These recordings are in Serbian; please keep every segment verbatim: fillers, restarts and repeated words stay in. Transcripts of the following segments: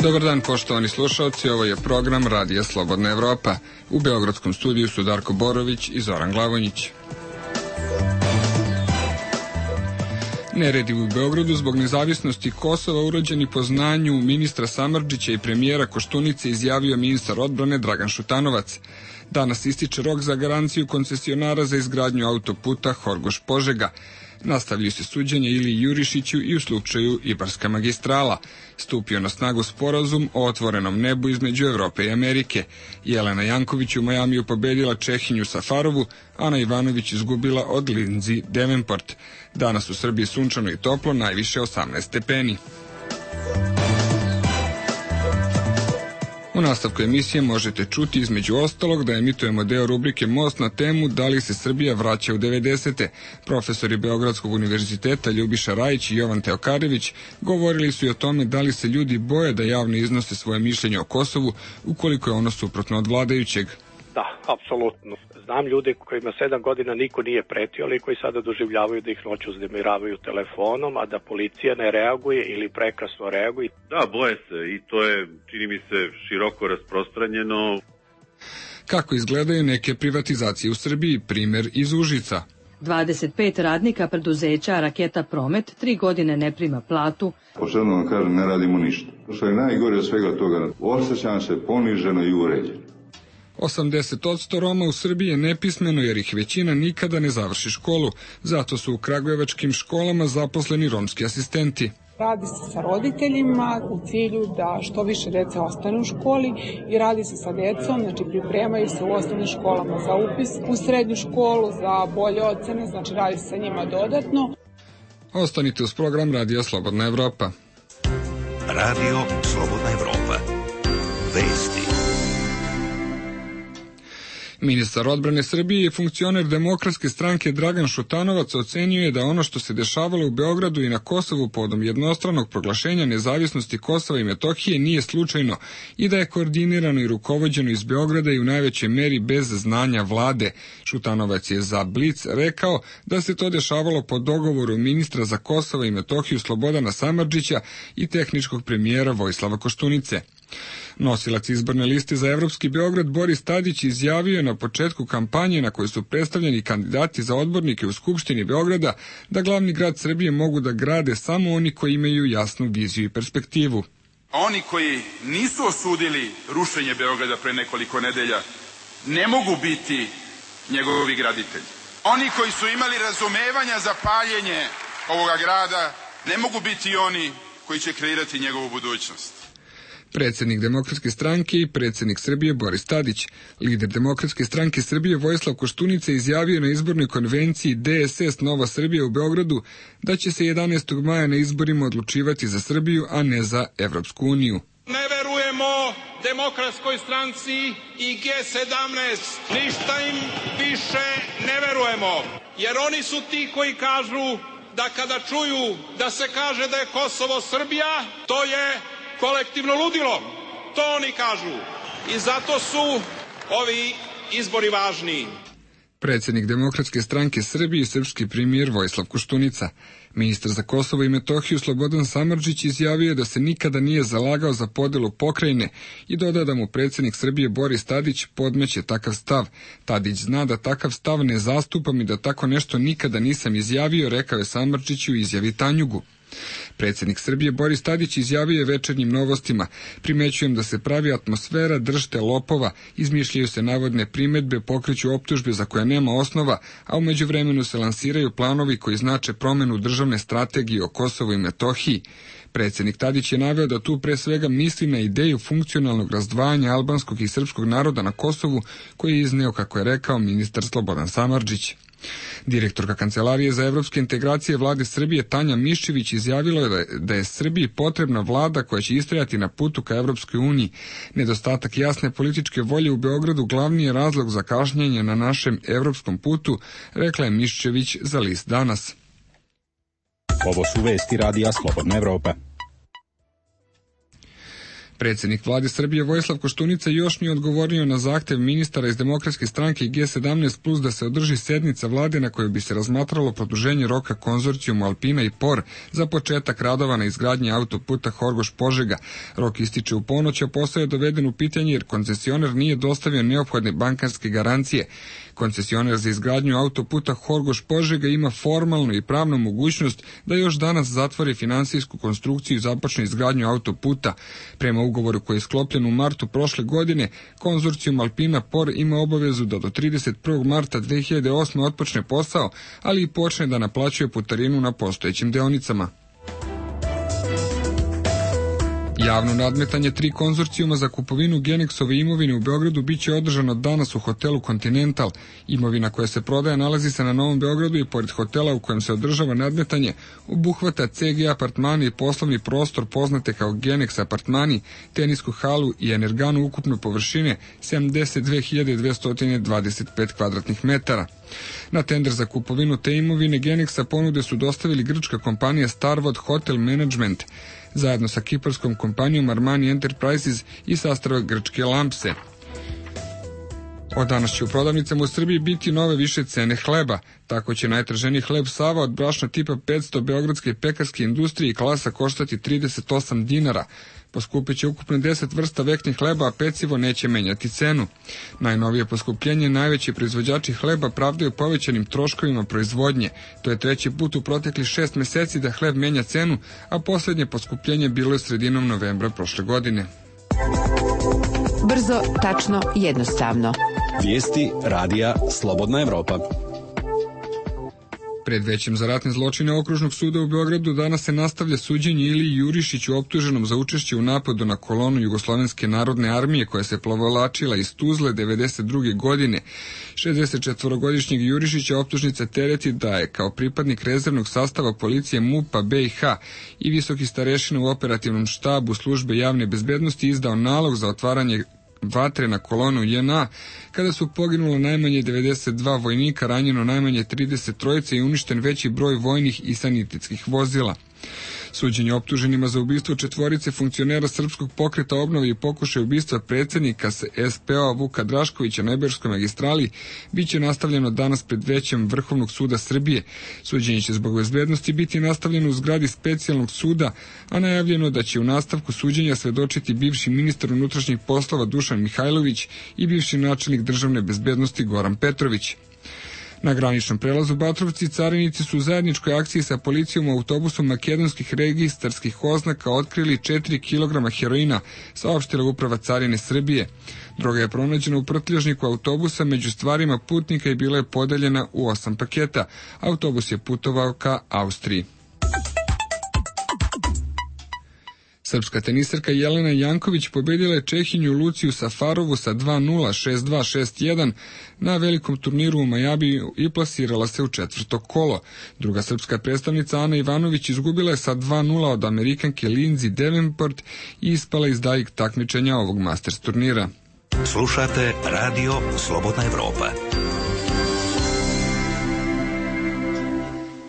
Dobar dan, poštovani slušalci, ovo je program Radija Slobodna Evropa. U beogradskom studiju su Darko Borović i Zoran Glavonjić. Neredi u Beogradu zbog nezavisnosti Kosova urađeni po znanju ministra Samardžića i premijera Koštunice, izjavio ministar odbrane Dragan Šutanovac. Danas ističe rok za garanciju koncesionara za izgradnju autoputa Horgoš-Požega. Nastavljaju se suđenje Iliji Jurišiću i u slučaju Ibarska magistrala. Stupio na snagu sporazum o otvorenom nebu između Evrope i Amerike. Jelena Janković u Majamiju pobedila Čehinju Safarovu, Ana Ivanović izgubila od Lindsay Davenport. Danas u Srbiji sunčano i toplo, najviše osamnaest stepeni. U nastavku emisije možete čuti između ostalog da emitujemo deo rubrike Most na temu da li se Srbija vraća u devedesete. Profesori Beogradskog univerziteta Ljubiša Rajić i Jovan Teokarević govorili su i o tome da li se ljudi boje da javno iznose svoje mišljenje o Kosovu ukoliko je ono suprotno od vladajućeg. Da, apsolutno. Znam ljude kojima sedam godina niko nije pretio, ali koji sada doživljavaju da ih noću uznemiravaju telefonom, a da policija ne reaguje ili prekasno reaguje. Da, boje se i to je, čini mi se, široko rasprostranjeno. Kako izgledaju neke privatizacije u Srbiji, primer iz Užica. dvadeset pet radnika preduzeća Raketa Promet tri godine ne prima platu. Pošteno vam kažem, ne radimo ništa. Što je najgore od svega toga, osjećam se poniženo i uređeno. osamdeset posto Roma u Srbiji je nepismeno jer ih većina nikada ne završi školu. Zato su u kragujevačkim školama zaposleni romski asistenti. Radi se sa roditeljima u cilju da što više dece ostane u školi i radi se sa decom, znači pripremaju se u osnovnim školama za upis u srednju školu, za bolje ocene, znači radi se sa njima dodatno. Ostanite uz program Radija Slobodna Evropa. Radio Slobodna Evropa. Vesti. Ministar odbrane Srbije i funkcioner Demokratske stranke Dragan Šutanovac ocenio je da ono što se dešavalo u Beogradu i na Kosovu povodom jednostranog proglašenja nezavisnosti Kosova i Metohije nije slučajno i da je koordinirano i rukovođeno iz Beograda i u najvećoj meri bez znanja vlade. Šutanovac je za Blic rekao da se to dešavalo po dogovoru ministra za Kosovo i Metohiju Slobodana Samardžića i tehničkog premijera Vojislava Koštunice. Nosilac izborne liste za Evropski Beograd Boris Tadić izjavio na početku kampanje na kojoj su predstavljeni kandidati za odbornike u Skupštini Beograda da glavni grad Srbije mogu da grade samo oni koji imaju jasnu viziju i perspektivu. Oni koji nisu osudili rušenje Beograda pre nekoliko nedelja ne mogu biti njegovi graditelji. Oni koji su imali razumevanja za paljenje ovoga grada ne mogu biti oni koji će kreirati njegovu budućnost. Predsjednik Demokratske stranke i predsjednik Srbije Boris Tadić. Lider Demokratske stranke Srbije Vojislav Koštunica izjavio na izbornoj konvenciji D S S Nova Srbija u Beogradu da će se jedanaestog maja na izborima odlučivati za Srbiju, a ne za Evropsku uniju. Ne verujemo Demokratskoj stranci i G sedamnaest. Ništa im više ne verujemo, jer oni su ti koji kažu da kada čuju da se kaže da je Kosovo Srbija, to je kolektivno ludilo, to oni kažu. I zato su ovi izbori važni. Predsjednik Demokratske stranke Srbije i srpski premijer Vojislav Koštunica. Ministar za Kosovo i Metohiju Slobodan Samardžić izjavio da se nikada nije zalagao za podelu pokrajine i dodao da mu predsjednik Srbije Boris Tadić podmeće takav stav. Tadić zna da takav stav ne zastupam i da tako nešto nikada nisam izjavio, rekao je Samardžić u izjavi Tanjugu. Predsjednik Srbije Boris Tadić izjavio je Večernjim novostima: primećujem da se pravi atmosfera držte lopova, izmišljaju se navodne primedbe, pokreću optužbe za koje nema osnova, a u međuvremenu se lansiraju planovi koji znače promenu državne strategije o Kosovu i Metohiji. Predsjednik Tadić je naveo da tu pre svega misli na ideju funkcionalnog razdvajanja albanskog i srpskog naroda na Kosovu, koji je izneo, kako je rekao, ministar Slobodan Samardžić. Direktorka Kancelarije za evropske integracije vlade Srbije Tanja Miščević izjavila je da je Srbiji potrebna vlada koja će istrajati na putu ka Evropskoj uniji. Nedostatak jasne političke volje u Beogradu glavni je razlog za kašnjenje na našem evropskom putu, rekla je Miščević za list Danas. Ovo su vesti Radija Slobodna Evropa. Predsjednik vlade Srbije Vojislav Koštunica još nije odgovorio na zahtev ministara iz Demokratske stranke i G sedamnaest plus da se održi sednica vlade na kojoj bi se razmatralo produženje roka konzorcijumu Alpina i Por za početak radova na izgradnji autoputa Horgoš-Požega. Rok ističe u ponoć, a posao je doveden u pitanje jer koncesioner nije dostavio neophodne bankarske garancije. Koncesioner za izgradnju autoputa Horgoš-Požega ima formalnu i pravnu mogućnost da još danas zatvori finansijsku konstrukciju i započne izgradnju autoputa. Prema ugovoru koji je sklopljen u martu prošle godine, konzorcijum Alpina Por ima obavezu da do trideset prvog marta dve hiljade osme otpočne posao, ali i počne da naplaćuje putarinu na postojećim deonicama. Javno nadmetanje tri konzorcijuma za kupovinu Genexove imovine u Beogradu biće održano danas u hotelu Continental. Imovina koja se prodaje nalazi se na Novom Beogradu i pored hotela u kojem se održava nadmetanje obuhvata C G apartmani i poslovni prostor poznate kao Genex apartmani, tenisku halu i energanu ukupne površine sedamdeset dve hiljade dvesta dvadeset pet kvadratnih metara. Na tender za kupovinu te imovine Genexa ponude su dostavili grčka kompanija Starwood Hotel Management zajedno sa kiparskom kompanijom Armani Enterprises i sastrava grčke Lampse. Od danas će u prodavnicama u Srbiji biti nove više cene hleba. Tako će najtraženiji hleb Sava od brašna tipa petsto beogradske pekarske industrije i klasa koštati trideset osam dinara. Poskupit će ukupno deset vrsta veknih hleba, a pecivo neće menjati cenu. Najnovije poskupljenje najveći proizvođači hleba pravdaju povećanim troškovima proizvodnje. To je treći put u proteklih šest meseci da hleb menja cenu, a posljednje poskupljenje bilo je sredinom novembra prošle godine. Brzo, tačno, jednostavno. Vijesti radija Slobodna Evropa. Pred većem za ratne zločine Okružnog suda u Beogradu danas se nastavlja suđenje Iliji Jurišiću optuženom za učešće u napadu na kolonu Jugoslovenske narodne armije koja se plovolačila iz Tuzle devedeset druge godine. šezdesetčetvorogodišnjeg Jurišića optužnica tereti da je kao pripadnik rezervnog sastava policije MUP-a B i H i visoki starešina u operativnom štabu službe javne bezbednosti izdao nalog za otvaranje vatre na kolonu J N A, kada su poginulo najmanje devedeset dva vojnika, ranjeno najmanje trideset trojice i uništen veći broj vojnih i sanitetskih vozila. Suđenje optuženima za ubistvo četvorice funkcionera Srpskog pokreta obnove i pokušaj ubistva predsjednika S P O-a Vuka Draškovića na Ibarskoj magistrali biće nastavljeno danas pred većem Vrhovnog suda Srbije. Suđenje će zbog bezbednosti biti nastavljeno u zgradi specijalnog suda, a najavljeno da će u nastavku suđenja svedočiti bivši ministar unutrašnjih poslova Dušan Mihajlović i bivši načelnik državne bezbednosti Goran Petrović. Na graničnom prelazu Batrovci carinici su u zajedničkoj akciji sa policijom u autobusu makedonskih registarskih oznaka otkrili četiri kilograma heroina, saopštila uprava carine Srbije. Droga je pronađena u prtljažniku autobusa među stvarima putnika i bila je podeljena u osam paketa. Autobus je putovao ka Austriji. Srpska tenisarka Jelena Janković pobedila je Čehinju Luciju Safarovu sa dva nula, šest dva, šest jedan na velikom turniru u Majamiju i plasirala se u četvrto kolo. Druga srpska predstavnica Ana Ivanović izgubila je sa dva nula od Amerikanke Lindsay Davenport i ispala iz daljeg takmičenja ovog Masters turnira. Slušate Radio Slobodna Evropa.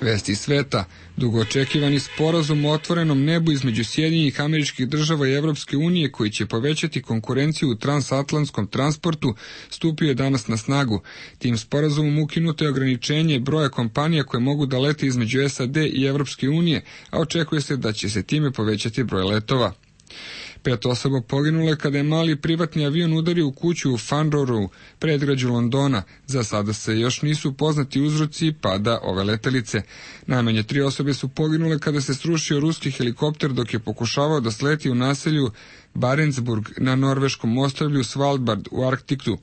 Vesti sveta. Dugo očekivani sporazum o otvorenom nebu između Sjedinjenih Američkih Država i Evropske unije koji će povećati konkurenciju u transatlantskom transportu stupio je danas na snagu. Tim sporazumom ukinuto je ograničenje broja kompanija koje mogu da lete između S A D i Evropske unije, a očekuje se da će se time povećati broj letova. Pet osoba poginulo je kada je mali privatni avion udario u kuću u Farnborough, predgrađu Londona. Za sada se još nisu poznati uzroci pada ove letelice. Najmanje tri osobe su poginule kada se srušio ruski helikopter dok je pokušavao da sleti u naselju Barentsburg na norveškom ostrvlju Svalbard u Arktiku.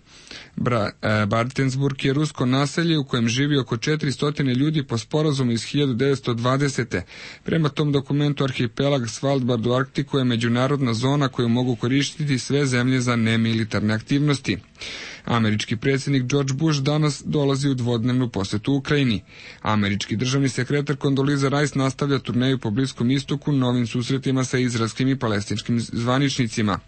Bra, e, Barentsburg je rusko naselje u kojem živi oko četiristo ljudi po sporazumu iz hiljadu devetsto dvadesete. Prema tom dokumentu arhipelag Svalbard u Arktiku je međunarodna zona koju mogu koristiti sve zemlje za nemilitarne aktivnosti. Američki predsjednik George Bush danas dolazi u dvodnevnu posjetu Ukrajini. Američki državni sekretar Condoleezza Rice nastavlja turneju po Bliskom istoku novim susretima sa izraelskim i palestinskim zvaničnicima.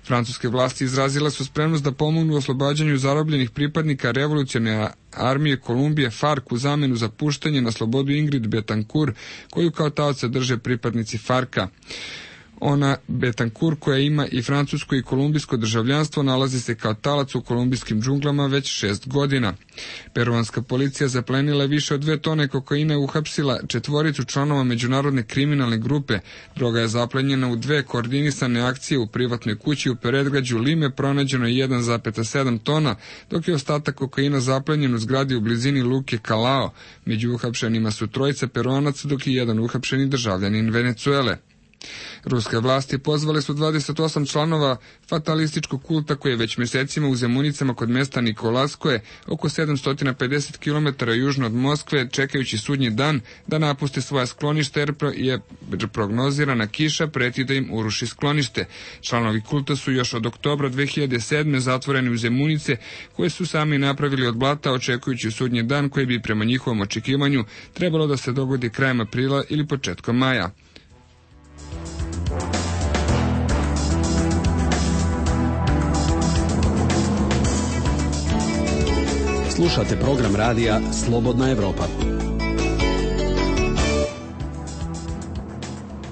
Francuske vlasti izrazile su spremnost da pomognu u oslobađanju zarobljenih pripadnika revolucionarne armije Kolumbije FARC u zamenu za puštanje na slobodu Ingrid Betancourt, koju kao taoca drže pripadnici FARC-a. Ona Betancourt, koja ima i francusko i kolumbijsko državljanstvo, nalazi se kao talac u kolumbijskim džunglama već šest godina. Peruanska policija zaplenila je više od dve tone kokaina i uhapsila četvoricu članova međunarodne kriminalne grupe. Droga je zaplenjena u dve koordinisane akcije u privatnoj kući u predgrađu Lime, pronađeno je jedan zarez sedam tona, dok je ostatak kokaina zaplenjen u zgradi u blizini luke Callao. Među uhapšenima su trojica Peruanaca, dok je jedan uhapšeni državljanin Venecuele. Ruske vlasti pozvale su dvadeset osam članova fatalističkog kulta koji je već mjesecima u Zemunicama kod mesta Nikolaskoje, oko sedamsto pedeset kilometara južno od Moskve, čekajući sudnji dan da napuste svoja sklonište jer je prognozirana kiša preti da im uruši sklonište. Članovi kulta su još od oktobra dve hiljade sedme zatvoreni u Zemunice, koje su sami napravili od blata, očekujući sudnji dan koji bi prema njihovom očekivanju trebalo da se dogodi krajem aprila ili početkom maja. Slušate program radija Slobodna Evropa.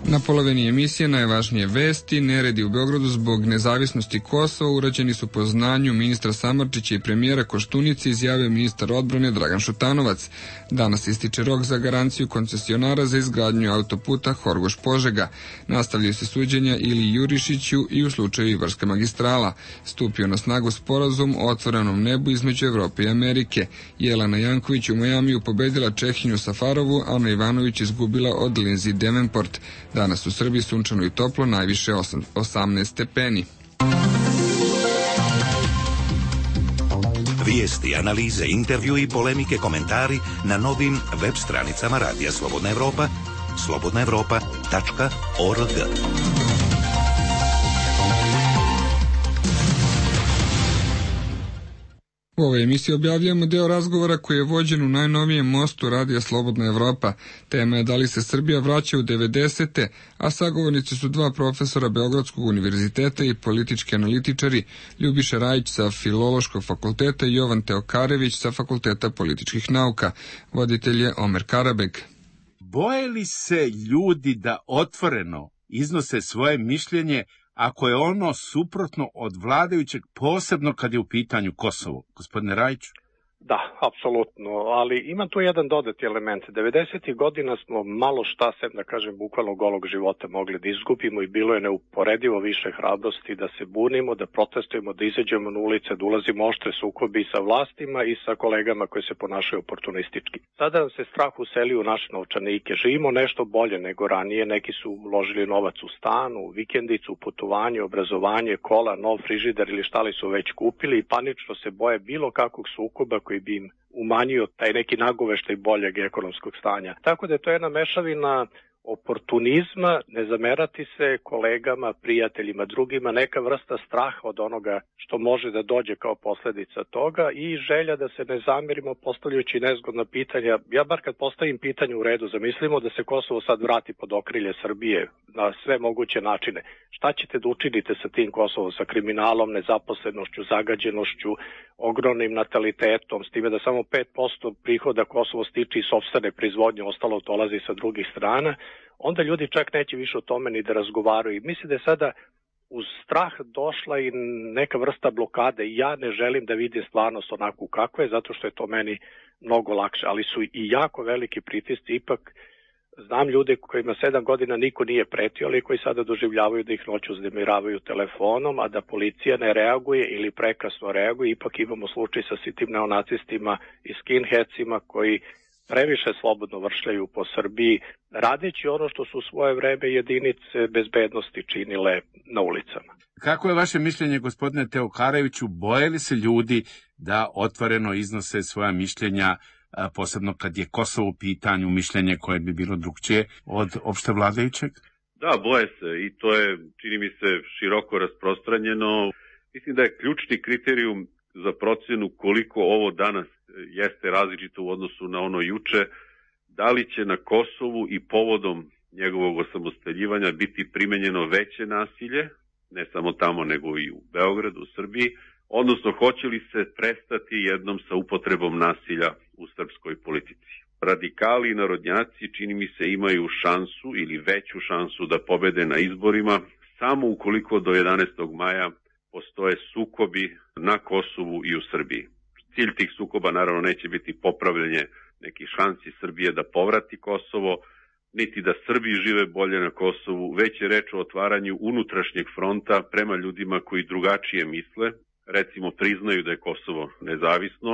Na polovini emisije najvažnije vesti: neredi u Beogradu zbog nezavisnosti Kosova urađeni su po znanju ministra Samardžića i premijera Koštunice, izjavio ministar odbrane Dragan Šutanovac. Danas ističe rok za garanciju koncesionara za izgradnju autoputa Horgoš-Požega. Nastavljaju se suđenja Ili Jurišiću i u slučaju Ibarska magistrala. Stupio na snagu sporazum o otvorenom nebu između Evrope i Amerike. Jelena Janković u Majamiju pobedila Čehinju Safarovu, a Ana Ivanović izgubila od Lindsay Davenport. Danas u Srbiji sunčano i toplo, najviše osamnaest stepeni. Vijesti, analize, intervju i polemike, komentari na novim web stranicama Radija Slobodna Evropa, slobodna evropa tačka org. U ovoj emisiji objavljujemo deo razgovora koji je vođen u najnovijem mostu Radija Slobodna Evropa. Tema je da li se Srbija vraća u devedesete, a sagovornici su dva profesora Beogradskog univerziteta i politički analitičari, Ljubiša Rajić sa Filološkog fakulteta i Jovan Teokarević sa Fakulteta političkih nauka. Voditelj je Omer Karabeg. Boje li se ljudi da otvoreno iznose svoje mišljenje ako je ono suprotno od vladajućeg, posebno kad je u pitanju Kosovo? Gospodine Rajiću? Da, apsolutno, ali ima tu jedan dodati element. devedesetih godina smo malo šta, sem da kažem bukvalno golog života, mogli da izgubimo i bilo je neuporedivo više hrabrosti da se bunimo, da protestujemo, da izađemo na ulice, da ulazimo oštre sukobi sa vlastima i sa kolegama koji se ponašaju oportunistički. Sada nam se strah useli u naše novčanike. Živimo nešto bolje nego ranije, neki su uložili novac u stanu, u vikendicu, u putovanje, obrazovanje, kola, nov frižider ili šta li su već kupili i panično se boje bilo kakvog sukoba koji bi im umanjio taj neki nagoveštaj boljeg ekonomskog stanja. Tako da je to jedna mešavina oportunizma, ne zamerati se kolegama, prijateljima, drugima, neka vrsta straha od onoga što može da dođe kao posljedica toga i želja da se ne zamerimo postavljajući nezgodna pitanja. Ja bar kad postavim pitanje u redu, zamislimo da se Kosovo sad vrati pod okrilje Srbije na sve moguće načine. Šta ćete da učinite sa tim Kosovom, sa kriminalom, nezaposlenošću, zagađenošću, ogromnim natalitetom, s time da samo pet posto prihoda Kosovo stiče iz sopstvene proizvodnje, ostalo dolazi sa drugih strana, onda ljudi čak neće više o tome ni da razgovaraju. I mislim da je sada uz strah došla i neka vrsta blokade. Ja ne želim da vidim stvarnost onako kako je, zato što je to meni mnogo lakše, ali su i jako veliki pritisci. Ipak znam ljude kojima sedam godina niko nije pretio, ali koji sada doživljavaju da ih noću uznemiravaju telefonom, a da policija ne reaguje ili prekasno reaguje. Ipak imamo slučaj sa sitim neonacistima i skinheadsima koji previše slobodno vršljaju po Srbiji, radeći ono što su u svoje vreme jedinice bezbednosti činile na ulicama. Kako je vaše mišljenje, gospodine Teokareviću, boje li se ljudi da otvoreno iznose svoja mišljenja, posebno kad je Kosovo u pitanju, mišljenje koje bi bilo drugčije od opšte vladajućeg? Da, boje se i to je, čini mi se, široko rasprostranjeno. Mislim da je ključni kriterijum za procjenu koliko ovo danas jeste različito u odnosu na ono juče, da li će na Kosovu i povodom njegovog osamostaljivanja biti primenjeno veće nasilje, ne samo tamo nego i u Beogradu, u Srbiji, odnosno hoće li se prestati jednom sa upotrebom nasilja u srpskoj politici. Radikali i narodnjaci, čini mi se, imaju šansu ili veću šansu da pobede na izborima samo ukoliko do jedanaestog maja postoje sukobi na Kosovu i u Srbiji. Cilj tih sukoba naravno neće biti popravljanje nekih šansi Srbije da povrati Kosovo, niti da Srbi žive bolje na Kosovu, već je reč o otvaranju unutrašnjeg fronta prema ljudima koji drugačije misle, recimo priznaju da je Kosovo nezavisno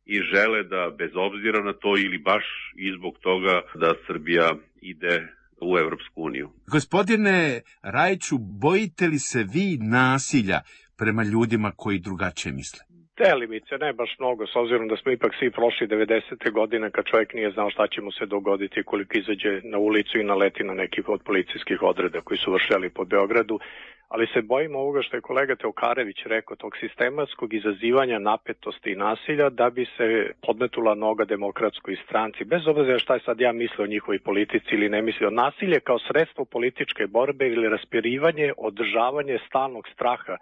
i žele da bez obzira na to ili baš i zbog toga da Srbija ide u Evropsku uniju. Gospodine Rajiću, bojite li se vi nasilja prema ljudima koji drugačije misle? Delimice, ne baš mnogo, s obzirom da smo ipak svi prošli devedesete godine kad čovjek nije znao šta će mu se dogoditi koliko izađe na ulicu i naleti na neki od policijskih odreda koji su vršljali po Beogradu, ali se bojimo ovoga što je kolega Teokarević rekao, tog sistematskog izazivanja napetosti i nasilja da bi se podmetula noga demokratskoj stranci, bez obzira šta je sad ja mislio o njihovoj politici ili ne mislio. Nasilje kao sredstvo političke borbe ili raspirivanje, održavanje stalnog straha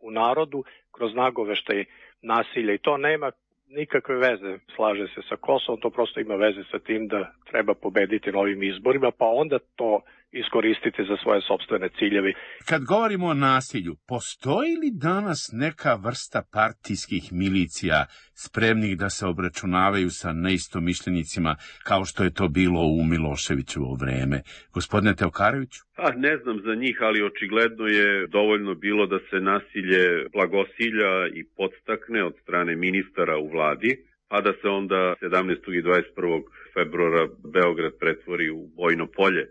u narodu kroz nagoveštaj nasilja i to nema nikakve veze, slaže se sa Kosovom, to prosto ima veze sa tim da treba pobediti na ovim izborima, pa onda to iskoristiti za svoje sopstvene ciljeve. Kad govorimo o nasilju, postoji li danas neka vrsta partijskih milicija spremnih da se obračunavaju sa neistomišljenicima kao što je to bilo u Miloševićevo vreme? Gospodine Teokareviću? Pa, ne znam za njih, ali očigledno je dovoljno bilo da se nasilje blagosilja i podstakne od strane ministara u vladi, pa da se onda sedamnaestog i dvadeset prvog februara Beograd pretvori u bojno polje.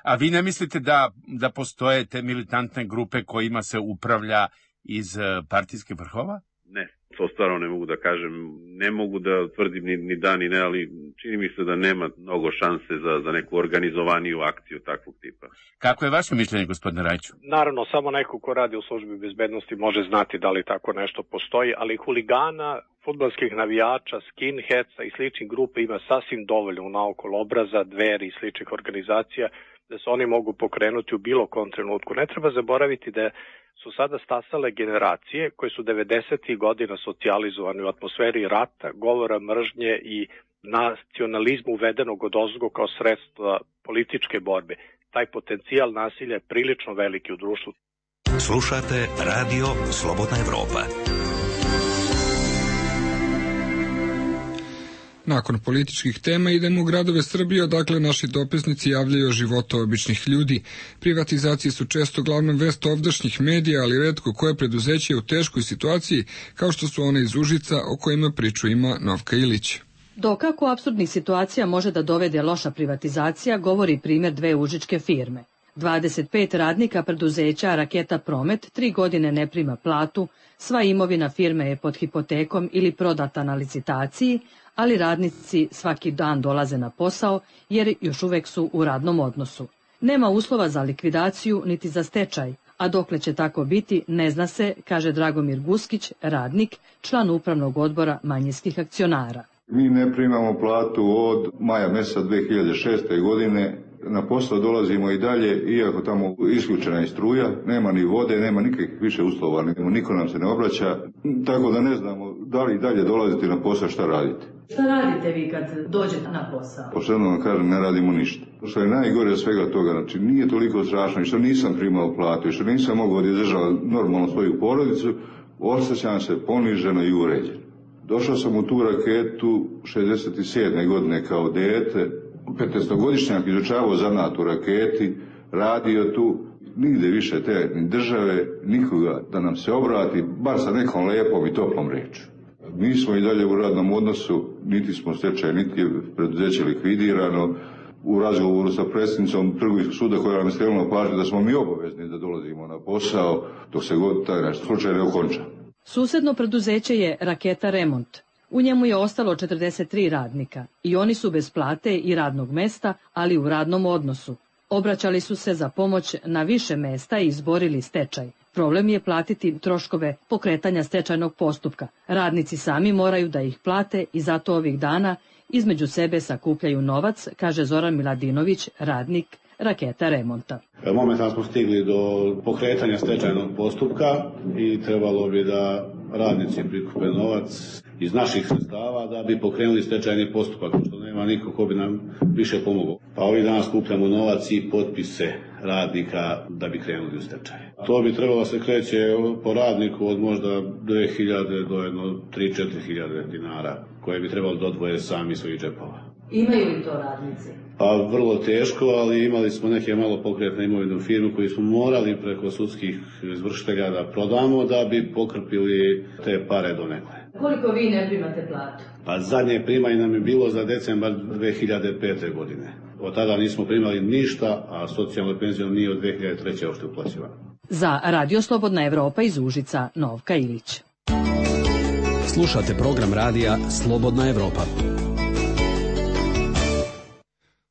A vi ne mislite da, da postoje te militantne grupe kojima se upravlja iz partijskih vrhova? Ne, to stvarno ne mogu da kažem. Ne mogu da tvrdim ni, ni da ni ne, ali čini mi se da nema mnogo šanse za, za neku organizovaniju akciju takvog tipa. Kako je vaše mišljenje, gospodine Rajiću? Naravno, samo neko ko radi u službi bezbednosti može znati da li tako nešto postoji, ali huligana, fudbalskih navijača, skinheadsa i sličnih grupa ima sasvim dovoljno naokolo obraza, Dveri i sličnih organizacija da se oni mogu pokrenuti u bilo kom trenutku. Ne treba zaboraviti da su sada stasale generacije koje su devedesetih godina socijalizovane u atmosferi rata, govora mržnje i nacionalizmu uvedenog od ozgo kao sredstva političke borbe. Taj potencijal nasilja je prilično veliki u društvu. Slušate Radio Slobodna Evropa. Nakon političkih tema idemo u gradove Srbije, odakle naši dopisnici javljaju o životu običnih ljudi. Privatizacije su često glavna vest ovdašnjih medija, ali retko koje preduzeće je u teškoj situaciji, kao što su one iz Užica o kojima priču ima Novka Ilić. Do kako apsurdnih situacija može da dovede loša privatizacija, govori primjer dve užičke firme. dvadeset pet radnika preduzeća Raketa Promet tri godine ne prima platu, sva imovina firme je pod hipotekom ili prodata na licitaciji, ali radnici svaki dan dolaze na posao jer još uvek su u radnom odnosu. Nema uslova za likvidaciju niti za stečaj, a dokle će tako biti ne zna se, kaže Dragomir Guskić, radnik, član upravnog odbora manjinskih akcionara. Mi ne primamo platu od maja meseca dve hiljade šeste. godine. Na posao dolazimo i dalje, iako tamo isključena je struja, nema ni vode, nema nikakvih više uslova, niko nam se ne obraća, tako da ne znamo da li i dalje dolazite na posao, šta radite. Šta radite vi kad dođete na posao? Pošteno vam kažem, ne radimo ništa. Što je najgore od svega toga, znači nije toliko strašno i što nisam primao platu i što nisam mogao da izdržavam normalno svoju porodicu, osjećam se poniženo i uređeno. Došao sam u tu raketu šezdeset sedme. godine kao dete, petnaestogodišnjak izučavao zanat u raketi, radio tu, nigde više te ni države, nikoga da nam se obrati, bar sa nekom lepom i toplom rečju. Mi smo i dalje u radnom odnosu, niti smo stečaj, niti je preduzeće likvidirano. U razgovoru sa predsjednicom trgovinskog suda koja nam je skrenula pažnju da smo mi obavezni da dolazimo na posao dok se god taj naš slučaj ne okonča. Susedno preduzeće je Raketa Remont. U njemu je ostalo četrdeset tri radnika i oni su bez plate i radnog mesta, ali u radnom odnosu. Obraćali su se za pomoć na više mesta i izborili stečaj. Problem je platiti troškove pokretanja stečajnog postupka. Radnici sami moraju da ih plate i zato ovih dana između sebe sakupljaju novac, kaže Zoran Miladinović, radnik Raketa Remonta. Momentalno smo stigli do pokretanja stečajnog postupka i trebalo bi da radnici prikupe novac iz naših sredstava da bi pokrenuli stečajni postupak, što nema niko ko bi nam više pomogao. Pa ovih dana skupljamo novac i potpise radnika da bi krenuli u stečaj. To bi trebalo se kreće po radniku od možda dve hiljade do jedno tri do četiri hiljade dinara koje bi trebalo da odvoje sami svojih džepova. Imaju li to radnici? Pa vrlo teško, ali imali smo neke malo pokretne imovine u firmu koji smo morali preko sudskih izvršitelja da prodamo da bi pokrpili te pare do nekle. Koliko vi ne primate platu? Pa zadnje primanje nam je bilo za decembar dve hiljade pete. godine. Od tada nismo primali ništa, a socijalnu penziju nije od dve hiljade treće. uopšte uplaćivano. Za Radio Slobodna Evropa iz Užica, Novka Ilić. Slušate program radija Slobodna Evropa.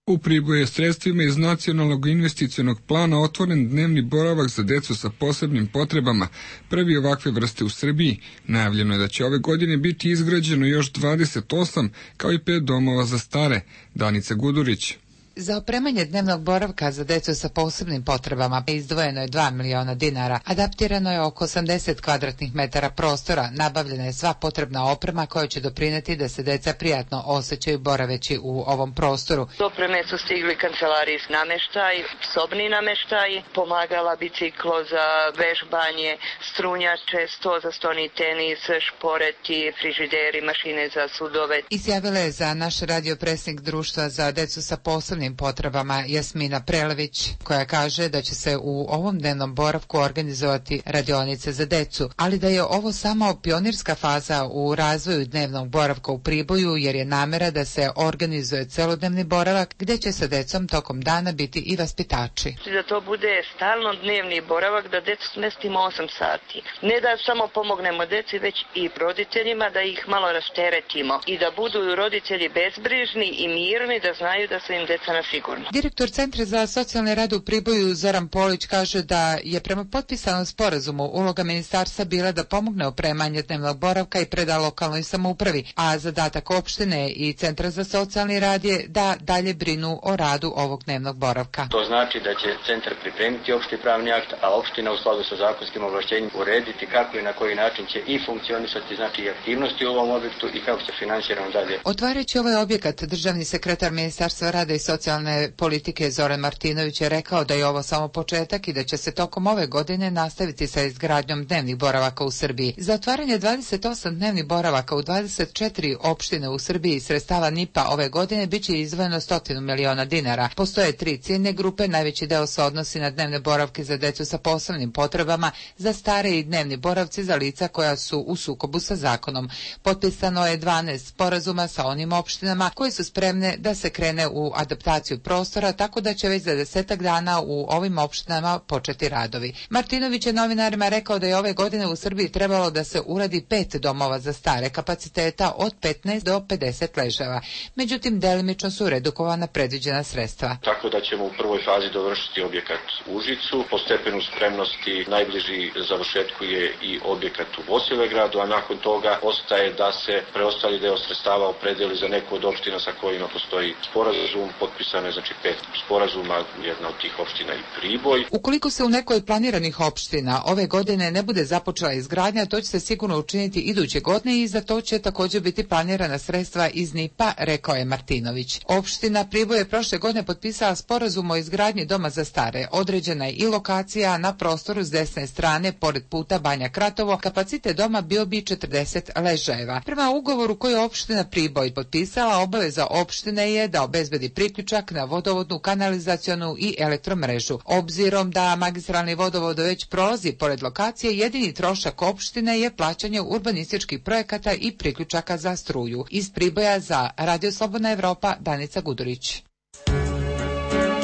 U Priboju je sredstvima iz Nacionalnog investicionog plana otvoren dnevni boravak za decu sa posebnim potrebama, prvi ovakve vrste u Srbiji. Najavljeno je da će ove godine biti izgrađeno još dvadeset osam, kao i pet domova za stare. Danica Gudurić. Za opremanje dnevnog boravka za decu sa posebnim potrebama izdvojeno je dva miliona dinara, adaptirano je oko osamdeset kvadratnih metara prostora, nabavljena je sva potrebna oprema koja će doprineti da se deca prijatno osjećaju boraveći u ovom prostoru. Opreme su stigli kancelarijski nameštaj, sobni nameštaj, pomagala biciklo za vežbanje, strunjače, sto za stoni tenis, šporeti, frižideri, mašine za sudove. Izjavila je za naš radio predsjednik društva za decu sa posebnim potrebama Jasmina Prelević, koja kaže da će se u ovom dnevnom boravku organizovati radionice za decu, ali da je ovo samo pionirska faza u razvoju dnevnog boravka u Priboju, jer je namera da se organizuje celodnevni boravak gdje će sa decom tokom dana biti i vaspitači. Da to bude stalno dnevni boravak, da decu smestimo osam sati. Ne da samo pomognemo deci, već i roditeljima, da ih malo rasteretimo i da budu roditelji bezbrižni i mirni, da znaju da su im deca na sigurno. Direktor Centra za socijalni rad u Priboju Zoran Polić kaže da je prema potpisanom sporazumu uloga ministarstva bila da pomogne opremanje dnevnog boravka i preda lokalnoj samoupravi, a zadatak opštine i Centra za socijalni rad je da dalje brinu o radu ovog dnevnog boravka. To znači da će centar pripremiti opšti pravni akt, a opština u skladu sa zakonskim ovlašćenjem urediti kako i na koji način će i funkcionisati, znači i aktivnosti u ovom objektu i kako će finansirano dalje. Otvarajući ovaj objekat, državni sekretar Ministarstva rada i socijalne politike Zoran Martinović je rekao da je ovo samo početak i da će se tokom ove godine nastaviti sa izgradnjom dnevnih boravaka u Srbiji. Za otvaranje dvadeset osam dnevnih boravaka u dvadeset četiri opštine u Srbiji sredstava N I P-a ove godine biće izdvojeno stotinu miliona dinara. Postoje tri ciljne grupe, najveći deo se odnosi na dnevne boravke za decu sa posebnim potrebama, za stare i dnevni boravci za lica koja su u sukobu sa zakonom. Potpisano je dvanaest sporazuma sa onim opštinama koji su spremne da se krene u adaptaciju prostora, tako da će već za desetak dana u ovim opštinama početi radovi. Martinović je novinarima rekao da je ove godine u Srbiji trebalo da se uradi pet domova za stare kapaciteta od petnaest do pedeset ležava. Međutim, delimično su redukovana predviđena sredstva. Tako da ćemo u prvoj fazi dovršiti objekat u Užicu. Po stepenu spremnosti najbliži završetku je i objekat u Bosilegradu, a nakon toga ostaje da se preostali deo sredstava opredeli za neku od opština sa kojima postoji sporazum. Potpisano je znači pet sporazuma, jedna od tih opština i Priboj. Ukoliko se u nekoj od planiranih opština ove godine ne bude započela izgradnja, to će se sigurno učiniti iduće godine i za to će također biti planirana sredstva iz N I P-a, rekao je Martinović. Opština Priboj je prošle godine potpisala sporazum o izgradnji doma za stare. Određena je i lokacija na prostoru s desne strane, pored puta Banja Kratovo. Kapacitet doma bio bi četrdeset ležajeva. Prema ugovoru koji je opština Priboj potpisala, obaveza opštine je da obezbedi priključak na vodovodnu, kanalizacionu i elektromrežu. Obzirom da magistralni vodovod već prolazi pored lokacije, jedini trošak opštine je plaćanje urbanističkih projekata i priključaka za struju. Iz Priboja za Radio Slobodna Evropa, Danica Gudurić.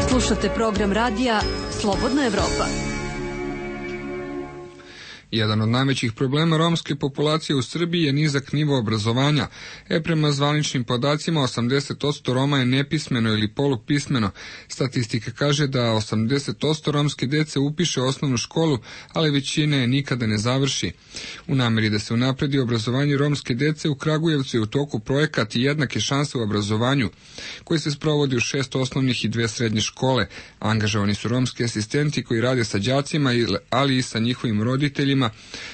Slušate program radija Slobodna Evropa. Jedan od najvećih problema romske populacije u Srbiji je nizak nivo obrazovanja. E, prema zvaničnim podacima, osamdeset posto Roma je nepismeno ili polupismeno. Statistika kaže da osamdeset posto romske dece upiše osnovnu školu, ali većina je nikada ne završi. U nameri da se unapredi obrazovanje romske dece, u Kragujevcu je u toku projekat Jednake šanse u obrazovanju, koji se sprovodi u šest osnovnih i dve srednje škole. Angažovani su romski asistenti koji rade sa đacima, ali i sa njihovim roditeljima, roditeljima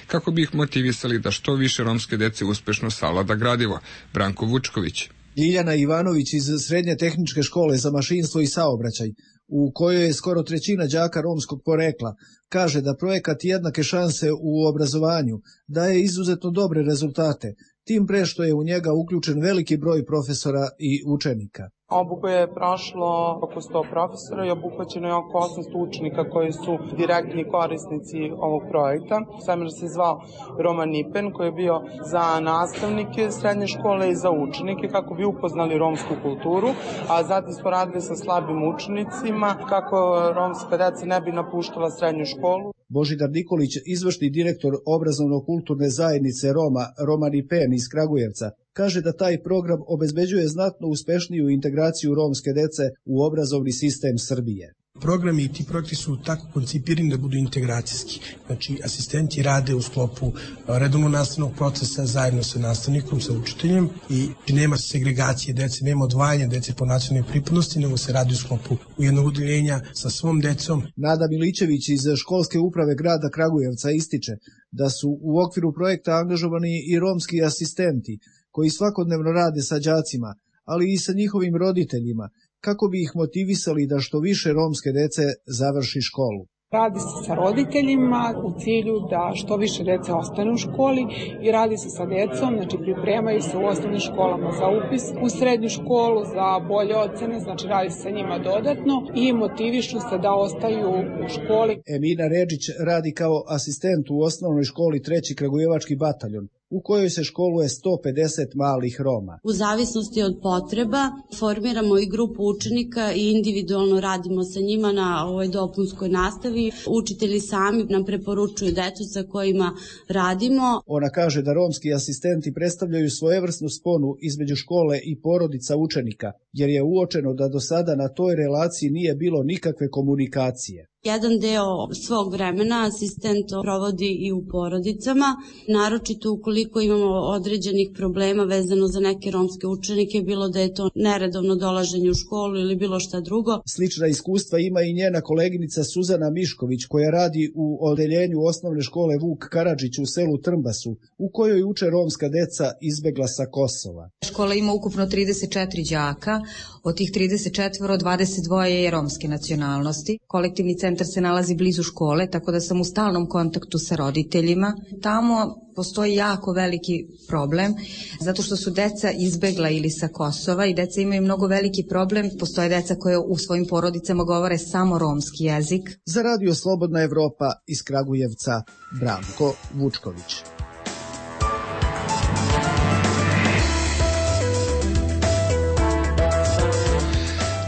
kako bi ih motivisali da što više romske dece uspešno savlada gradivo. Branko Vučković. Ljiljana Ivanović iz Srednje tehničke škole za mašinstvo i saobraćaj, u kojoj je skoro trećina đaka romskog porekla, kaže da projekat Jednake šanse u obrazovanju daje izuzetno dobre rezultate, tim pre što je u njega uključen veliki broj profesora i učenika. Obuku je prošlo oko sto profesora i obuhvaćeno je oko osamsto učenika koji su direktni korisnici ovog projekta. Seminar se zvao Roman Nipen, koji je bio za nastavnike srednje škole i za učenike kako bi upoznali romsku kulturu, a zatim smo radili sa slabim učenicima kako romska deca ne bi napuštala srednju školu. Božidar Nikolić, izvršni direktor obrazovno-kulturne zajednice Roma Roman Nipen iz Kragujevca, kaže da taj program obezbeđuje znatno uspešniju integraciju romske dece u obrazovni sistem Srbije. Programi i ti projekti su tako koncipirani da budu integracijski. Znači, asistenti rade u sklopu redovnog nastavnog procesa zajedno sa nastavnikom, sa učiteljem i nema segregacije dece, nema odvajanja dece po nacionalnoj pripadnosti, nego se radi u sklopu u jednog udeljenja sa svom decom. Nada Milićević iz školske uprave grada Kragujevca ističe da su u okviru projekta angažovani i romski asistenti koji svakodnevno rade sa đacima, ali i sa njihovim roditeljima, kako bi ih motivisali da što više romske dece završi školu. Radi se sa roditeljima u cilju da što više dece ostane u školi i radi se sa decom, znači pripremaju se u osnovnim školama za upis u srednju školu, za bolje ocene, znači radi se sa njima dodatno i motivišu se da ostaju u školi. Emina Redžić radi kao asistent u osnovnoj školi treći Kragujevački bataljon, u kojoj se školuje sto pedeset malih Roma. U zavisnosti od potreba formiramo i grupu učenika i individualno radimo sa njima na ovoj dopunskoj nastavi. Učitelji sami nam preporučuju decu sa kojima radimo. Ona kaže da romski asistenti predstavljaju svojevrsnu sponu između škole i porodica učenika, jer je uočeno da do sada na toj relaciji nije bilo nikakve komunikacije. Jedan deo svog vremena asistent provodi i u porodicama, naročito ukoliko imamo određenih problema vezano za neke romske učenike, bilo da je to neredovno dolaženje u školu ili bilo šta drugo. Slična iskustva ima i njena koleginica Suzana Mišković, koja radi u odeljenju osnovne škole Vuk Karadžić u selu Trmbasu, u kojoj uče romska deca izbegla sa Kosova. Škola ima ukupno trideset četiri đaka, od tih trideset četiri dvadeset dva je romske nacionalnosti. Kolektivni centar se nalazi blizu škole, tako da sam u stalnom kontaktu sa roditeljima. Tamo postoji jako veliki problem, zato što su deca izbegla ili sa Kosova i deca imaju mnogo veliki problem. Postoje deca koje u svojim porodicama govore samo romski jezik. Za Radio Slobodna Evropa iz Kragujevca, Branko Vučković.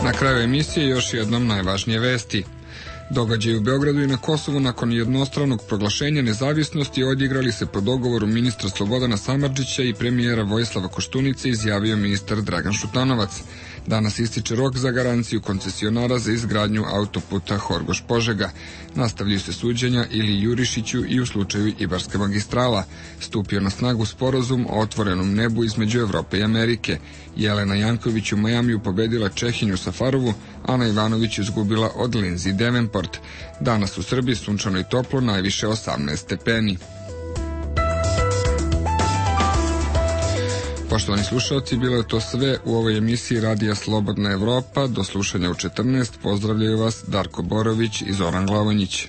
Na kraju emisije još jednom najvažnije vesti. Događaji u Beogradu i na Kosovu nakon jednostranog proglašenja nezavisnosti odigrali se po dogovoru ministra Slobodana Samardžića i premijera Vojislava Koštunice, izjavio ministar Dragan Šutanovac. Danas ističe rok za garanciju koncesionara za izgradnju autoputa Horgoš-Požega. Nastavljaju se suđenja Ili Jurišiću i u slučaju Ibarska magistrala. Stupio na snagu sporazum o otvorenom nebu između Evrope i Amerike. Jelena Janković u Majamiju pobedila Čehinju Safarovu, Ana Ivanović izgubila od Lindsay Davenport. Danas u Srbiji sunčano i toplo, najviše osamnaest stepeni. Poštovani slušalci, bilo je to sve u ovoj emisiji Radija Slobodna Evropa. Do slušanja u četrnaest. Pozdravljaju vas Darko Borović i Zoran Glavonjić.